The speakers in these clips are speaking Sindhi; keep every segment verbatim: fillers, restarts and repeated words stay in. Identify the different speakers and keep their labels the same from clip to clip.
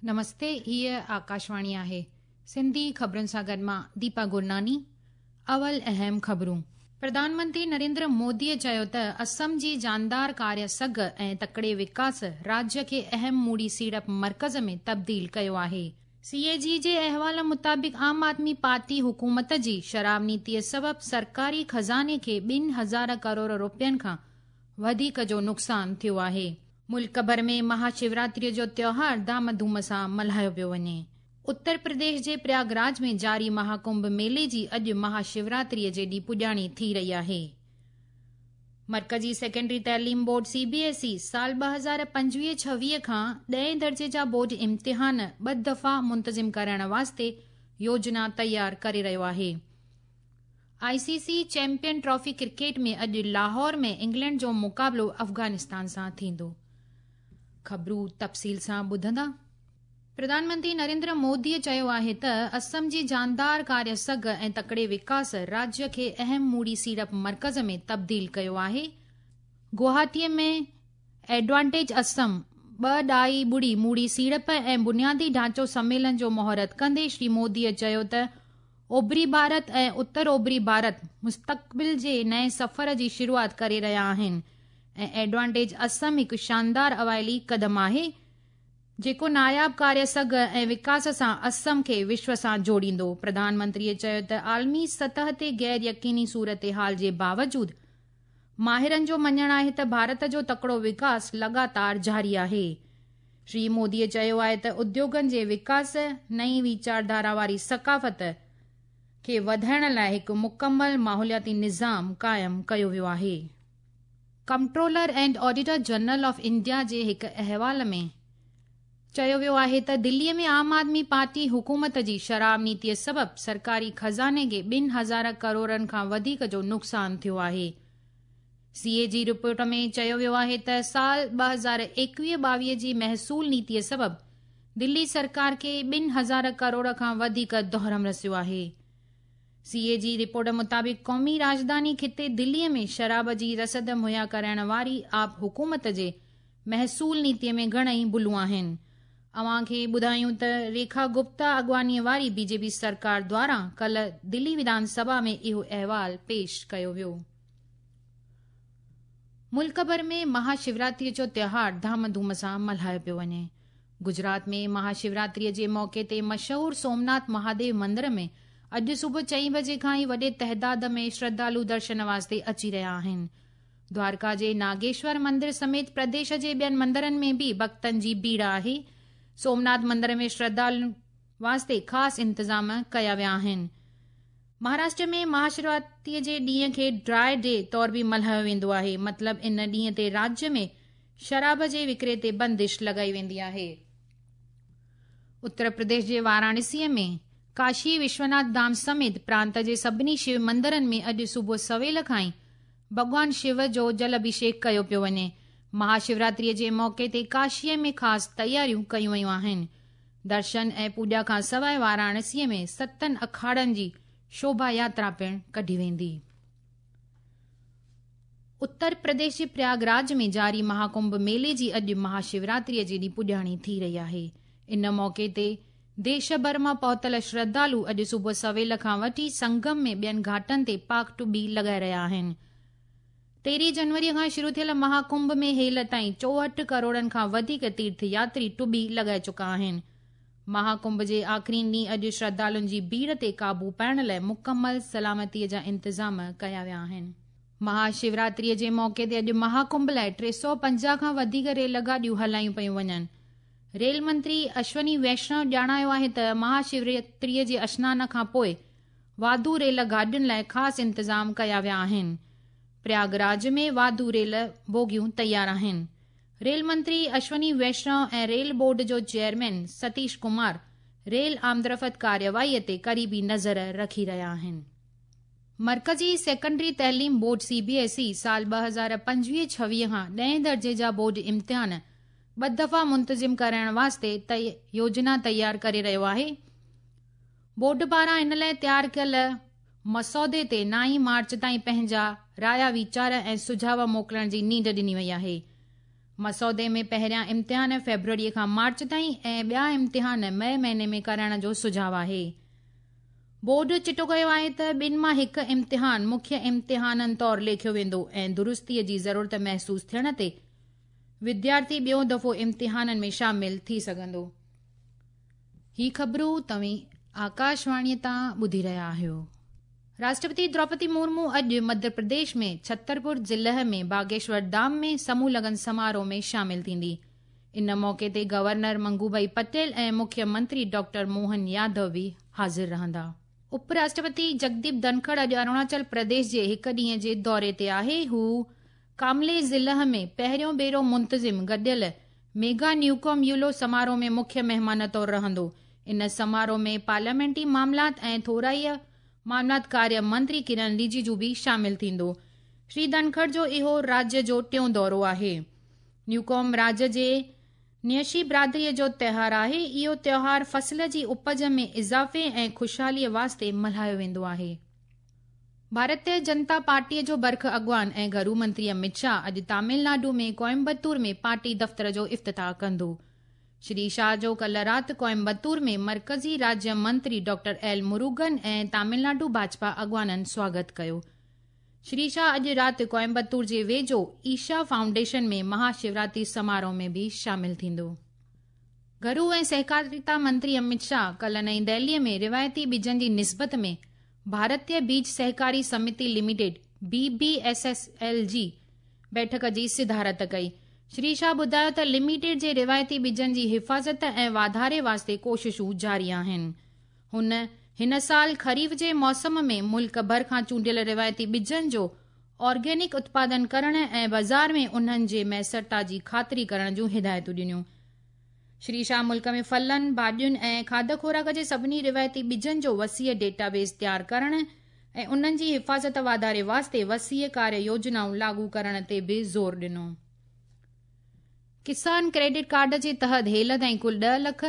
Speaker 1: نمستي، هيءَ آڪاشواڻي آهي. سنڌي خبرن سان گڏ مان ديپا گرناني. اول اهم خبرون. پرڌان منتري نريندر موديءَ چيو ته اسم جي جاندار ڪاريه سگهه ۽ تڪڙي وڪاس راجيه کي اهم موڙي سيڙپ مرڪز ۾ تبديل ڪيو آهي. سي اي جي جي احوال مطابق عام آدمي پارٽي حڪومت جي شراب نيتيءَ سبب سرڪاري خزاني کي ٻن هزار ڪروڙ رپين کان وڌيڪ جو نقصان ٿيو آهي. ملڪ ڀر ۾ مها شوراتريءَ جو تيوهار ڌام ڌوم سان ملهايو پيو وڃي. اتر پرديش جي پرياگراج ۾ جاري مهاڪنڀ ميلي جي اڄ مها شوراتريءَ جي ڏينهن پڄاڻي ٿي رهي آهي. مرڪزي سيڪنڊري تعليم بورڊ سي بي ايس اي سال ٻه هزار پنجويهه ڇويهه کان ڏهين درجي جا بورڊ امتحان ٻه دفعا منتظم ڪرائڻ واسطي يوجنا تيار ڪري رهيو آهي. I C C champion trophy cricket ۾ اڄ لاهور ۾ انگلينڊ جو مقابلو افغانستان سان ٿيندو. خبرون تفصيل سان ٻڌندا. پرڌان منتري نريندر موديءَ چيو آهي ته اسم جي جاندار ڪاريه سگهه ۽ تڪڙي وڪاس راجيه کي اهم موڙي سيڙپ مرڪز ۾ تبديل ڪيو آهي. گوهاتيءَ ۾ ايڊوانٽيج اسم ٻه ڏهائي ٻڙي موڙي سيڙپ ۽ بنيادي ڍانچو سميلن جو مهورت ڪندي شري موديءَ چيو ته اوڀري ڀارت ۽ اتر اوڀري ڀارت مستقبل جي نئين سفر جي شروعات ڪري رهيا آهن ۽ ايڊوانٽيج اسم هڪ شاندار اوائلي قدم آهي جيڪو ناياب ڪاريه سگهه ۽ وڪاس سان اسم کي وشو سان جوڙيندو. پرڌان منتريءَ چيو ته عالمي سطح تي غير يقيني صورت حال جي باوجود ماهرن جو مڃڻ آهي ته ڀارت جو تڪڙو وڪاس لڳاتار جاري آهي. شري موديءَ چيو آهي ته اديوگن جي وڪاس، نئين ويچارڌارا واري ثقافت کي وڌائڻ لاءِ هڪ مڪمل ماحولياتي نظام قائم ڪيو ويو آهي. Comptroller and auditor general of India جي هڪ احوال ۾ چيو ويو آهي ته دليءَ ۾ عام آدمي پارٽي حڪومت جي شراب نيتيءَ سبب سرڪاري خزاني کي ٻن هزار ڪروڙن کان وڌيڪ جو نقصان ٿيو آهي. سي اي جي رپورٽ ۾ چيو ويو آهي ته سال ٻه هزار ايڪويهه ٻاويهه جي محصول نيتيءَ سبب دلي سرڪار کي ٻن هزار ڪروڙ کان وڌيڪ دهرم رسيو آهي. سي اي جي رپورٽ مطابق قومي راڄڌاني خطي دليءَ ۾ شراب جي رسد مهيا ڪرائڻ واري آپ حڪومت جي محصول نيتيءَ ۾ گهڻئي ڀلون آهن. اوهان کي ٻڌايون ته ريکا گپتا اڳواڻيءَ واري بي جي پي سرڪار دواران ڪالهه دلي وڌان سڀا ۾ اهو احوال پيش ڪيو ويو. ملڪ ڀر ۾ مها شوراتريءَ جو تيوهار ڌام ڌوم سان ملهايو پيو وڃي. گجرات ۾ مها شوراتريءَ جي موقعي تي مشهور سومناٿ مهاديو مندر ۾ اڄ صبح چئين بجي کان ئي وڏي تعداد ۾ شرڌالو درشن واسطي اچي رهيا آهن. دوارڪا جي ناگيشور مندر سميت پرديش جي ٻين مندرن ۾ به ڀڪتن جي ڀيڙ آهي. سومناٿ مندر ۾ شرڌالن واسطي خاص انتظام ڪيا ويا آهن. مهاراشٽر ۾ مهاشوراتريءَ جي ڏينهن کي ڊرائي ڊي طور به ملهايو ويندو آهي. مطلب ان ڏينهن تي راجيه ۾ شراب جي وڪري تي بندش لڳائي ويندي آهي. اتر پرديش جي واراڻسيءَ ۾ ڪاشي وشوناٿ ڌام سميت پرانت جي سڀني شو مندرن ۾ اڄ صبح سويل کان ئي ڀڳوان شو جو جل اڀشيڪ ڪيو پيو وڃي. مهاشوراتريءَ جي موقعي تي ڪاشيءَ ۾ خاص تياريون ڪيون ويون آهن. درشن ۽ پوڄا کان سواءِ واراڻسيءَ ۾ ستن اکاڙن جي شوڀا ياترا پڻ ڪڍي ويندي. اتر پرديش جي پرياگراج ۾ جاري مهاڪنڀ ميلي جي اڄ مهاشوراتريءَ جي ڏينهن پڄاڻي ٿي رهي آهي. ان موقعي تي ديش ڀر مان پهتل شرڌالو اڄ صبح سويل کان وٺي سنگم ۾ ٻين گهاٽن تي پاڪ ٽٻي لڳائي رهيا آهن. تيرهين جنوريءَ کان شروع ٿيل مهاڪنڀ ۾ هيل تائين چوهٺ ڪروڙن کان وڌيڪ تيرٿ ياتري ٽٻي لڳائي چڪا آهن. مهاڪنڀ جي آخرين ڏينهن اڄ شرڌالن جي ڀيڙ تي قابو پائڻ لاءِ مڪمل سلامتيءَ جا انتظام ڪيا ويا آهن. مهاشوراتريءَ جي موقعي تي اڄ مهاڪنڀ لاءِ ٽي سؤ پنجاهه کان وڌيڪ ريل گاڏيون هلايون پيون وڃن. ريل منتري اشوني ويشنو ڄاڻايو آهي ته مهاشوراتريءَ جي اشنان کان پوءِ واڌو ريل گاڏين لاءِ خاص انتظام ڪيا ويا آهن. پرياگراج ۾ واڌو ريل بوگيون تيار آهن. ريل منتري اشوني ويشنو ۽ ريل بورڊ جو چيئرمين ستيش ڪمار ريل آمدرفت ڪارروائيءَ تي قريبي نظر رکي رهيا آهن. مرڪزي سيڪنڊري تعليم بورڊ سي بي ايس اي سال ٻه هزار پنجويهه ڇويهه کان ڏهين درجي جا بورڊ امتحان ٻه دفعا منتظم ڪرائڻ واسطي يوجنا تيار ڪري رهيو آهي. بورڊ پاران ان لاءِ تيار ڪيل مسودي تي نائين مارچ تائين پنهنجا رايا ويچار ۽ سجهاءُ موڪلڻ جي نينڍ ڏني وئي آهي. مسودي ۾ پهريان امتحان فيبروري کان مارچ تائين ۽ ٻيا امتحان مئي مهيني ۾ ڪرائڻ جو سجهاءُ آهي. بورڊ چٽو ڪيو آهي ته ٻن مان هڪ امتحان مکيه امتحانن طور ليکيو ويندو ۽ درستيءَ جي ضرورت محسوس ٿيڻ تي وديارٿي ٻيو دفعو امتحانن ۾ شامل ٿي سگهندو. هي خبرون توهين آڪاشواڻيءَ تان ٻڌي رهيا آهيو. راشٽرپتي دروپدي مرمو اڄ مڌيه پرديش ۾ ڇترپور ضلعي ۾ باگيشور ڌام ۾ سموهه لگن سماروهه ۾ شامل ٿيندي. ان موقعي تي گورنر منگوڀائي پٽيل ۽ مکيه منتري ڊاڪٽر موهن يادو به حاضر رهندا. اپ راشٽرپتي جگديپ ڌنکڙ اڄ اروناچل پرديش جي هڪ ڏينهن جي دوري تي آهي. هو ڪاملي ضلعي ۾ پهريون ڀيرو منتظم گڏيل ميگا نيوڪوم يولو سماروهه ۾ مکيه مهمان طور رهندو. ان سماروهه ۾ پارليامينٽي معاملات ۽ ٿورائي معاملات ڪاريه منتري ڪرن رجيجو به شامل ٿيندو. شري ڌنکڙ جو اهو راجيه جو ٽيون دورو آهي. نيوڪوم راجيه جي نيشي برادريءَ جو تيوهار آهي. اهو تيوهار فصل جي اپج ۾ اضافي ۽ خوشحاليءَ واسطي ملهايو ويندو آهي. ڀارتيه جنتا پارٽيءَ جو برک اڳواڻ ۽ گهرو منتري امت شاهه اڄ تامل ناڊو ۾ ڪوئمبتور ۾ پارٽي دفتر جو افتتاح ڪندو. شري شاهه جو ڪلهه رات ڪوئمبتور ۾ مرڪزي راجيه منتري ڊاڪٽر ايل مروگن ۽ تامل ناڊو ڀاجپا اڳواڻن سواگت ڪيو. شري شاهه اڄ رات ڪوئمبتور جي ويجهو ايشا فائونڊيشن ۾ مهاشوراتري سماروهه ۾ به شامل ٿيندو. گهرو ۽ سهڪاريتا منتري امت شاهه ڪلهه نئين دهليءَ ۾ روايتي ٻجن جي نسبت ۾ ڀارتيه بيج سهڪاري سمتي limited B B S S L جي بيٺڪ جي صدارت ڪئي. شري شاهه ٻڌايو ته لميٽيڊ جي روايتي ٻجن جي حفاظت ۽ واڌاري واسطي ڪوششون جاري آهن. هن هن سال خريف جي موسم ۾ ملڪ ڀر کان چونڊيل روايتي ٻجن جو آرگينڪ اتپادن ڪرڻ ۽ بازار ۾ انهن جي ميسرتا جي خاطري ڪرڻ جون هدايتون ڏنيون. شري شاهه ملڪ ۾ ڦلن، ڀاڄين ۽ کاڌ خوراڪ جي سڀني روايتي ٻجن جو وسيع ڊيٽابيس تيار ڪرڻ ۽ انهن جي حفاظت واڌاري واسطي وسيع ڪاريه يوجنائون لاڳو ڪرڻ تي به زور ڏنو. ڪسان ڪريڊٽ ڪارڊ جي تحت هيل تائين ڪل ڏهه لک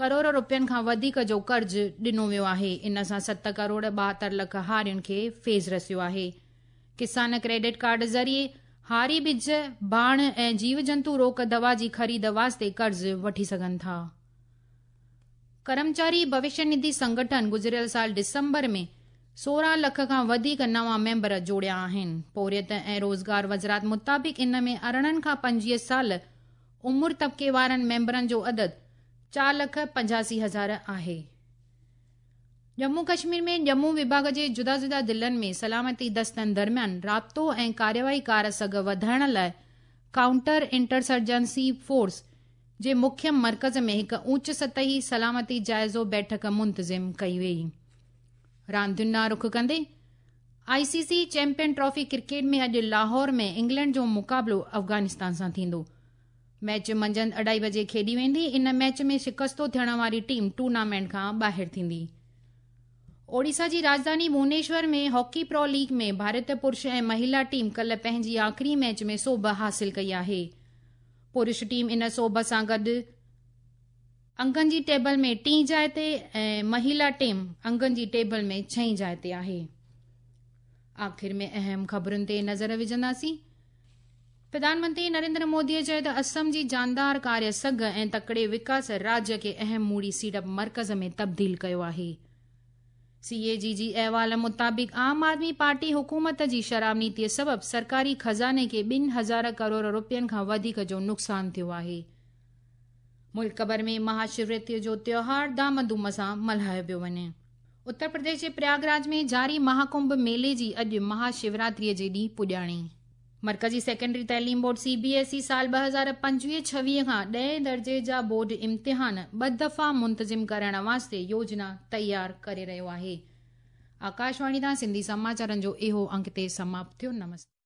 Speaker 1: ڪروڙ رپين کان وڌيڪ جو قرض ڏنو ويو آهي. ان سان ست ڪروڙ ٻاهتر لک هارين کي فيض رسيو آهي. ڪسان ڪريڊٽ ڪارڊ ذريعي هاري ٻج، ڀاڻ ۽ جيو جنتو روڪ دوا جي خريد واسطي قرض وٺي سگهن ٿا. ڪرمچاري ڀوشيه نڌي سنگٺن گذريل سال ڊسمبر ۾ سورهن لک کان وڌيڪ نوان ميمبر جوڙيا آهن. پورهيت ۽ روزگار وزارت مطابق ان ۾ ارڙهن کان پنجويهه سال عمر طبقي وارن ميمبرن جو عدد چار لک پنجاسي هزار آهي. ڄمون ڪشمير ۾ ڄمون وڀاڳ جي جدا جدا ضلعن ۾ سلامتي دستن درميان رابطو ۽ ڪارروائي ڪار سگهه وڌائڻ لاءِ ڪائونٽر انٽرسرجنسي فورس جي مکيه مرڪز ۾ هڪ اوچ سطحي سلامتي جائزو بيٺڪ منتظم ڪئي وئي. راندين ڏانهن رخ ڪندي I C C champion trophy cricket ۾ اڄ لاهور ۾ انگلينڊ جو مقابلو افغانستان سان ٿيندو. ميچ منجهند اڍائي بجي کيڏي ويندي. ان ميچ ۾ شڪستو ٿيڻ واري ٽيم ٽورنامينٽ کان ٻاهر ٿيندي. اوڙيسا جي راڄڌاني ڀونيشور ۾ هاڪي پرو ليگ ۾ ڀارتيه پرش ۽ مهلا ٽيم ڪلهه پنهنجي آخري ميچ ۾ سوڀ حاصل ڪئي آهي. پرش ٽيم ان سوڀ سان گڏ انگن جي ٽيبل ۾ ٽين جاءِ تي ۽ مهلا ٽيم انگن جي ٽيبل ۾ ڇهين جاءِ تي آهي. آخر ۾ اهم خبرن تي نظر وجهنداسين. پرڌان منتري نريندر موديءَ چيو ته اسم جي جاندار ڪاريه سگهه ۽ تڪڙي وڪاس راجيه کي اهم موڙي سيڙپ مرڪز ۾ تبديل ڪيو آهي. سي اي جي جي احوال مطابق عام آدمي پارٽي حڪومت جي شراب نيتيءَ سبب سرڪاري خزاني کي ٻن هزار ڪروڙ رپين کان وڌيڪ جو نقصان ٿيو آهي. ملڪ ڀر ۾ مهاشوراتريءَ جو تيوهار ڌام ڌوم سان ملهايو پيو وڃي. اتر پرديش جي پرياگراج ۾ جاري مهاڪنڀ ميلي جي اڄ مهاشوراتريءَ جي ڏينهن پڄاڻي. مرڪزي سيڪنڊري تعليم بورڊ سي بي ايس اي سال ٻه هزار پنجويهه ڇويهه کان ڏهين درجي جا بورڊ امتحان ٻه دفعا منتظم ڪرڻ واسطي يوجنا تيار ڪري رهيو آهي. آڪاشواڻي تان سنڌي سماچارن جو اهو انڪ تي سماپت ٿيو. نمستي.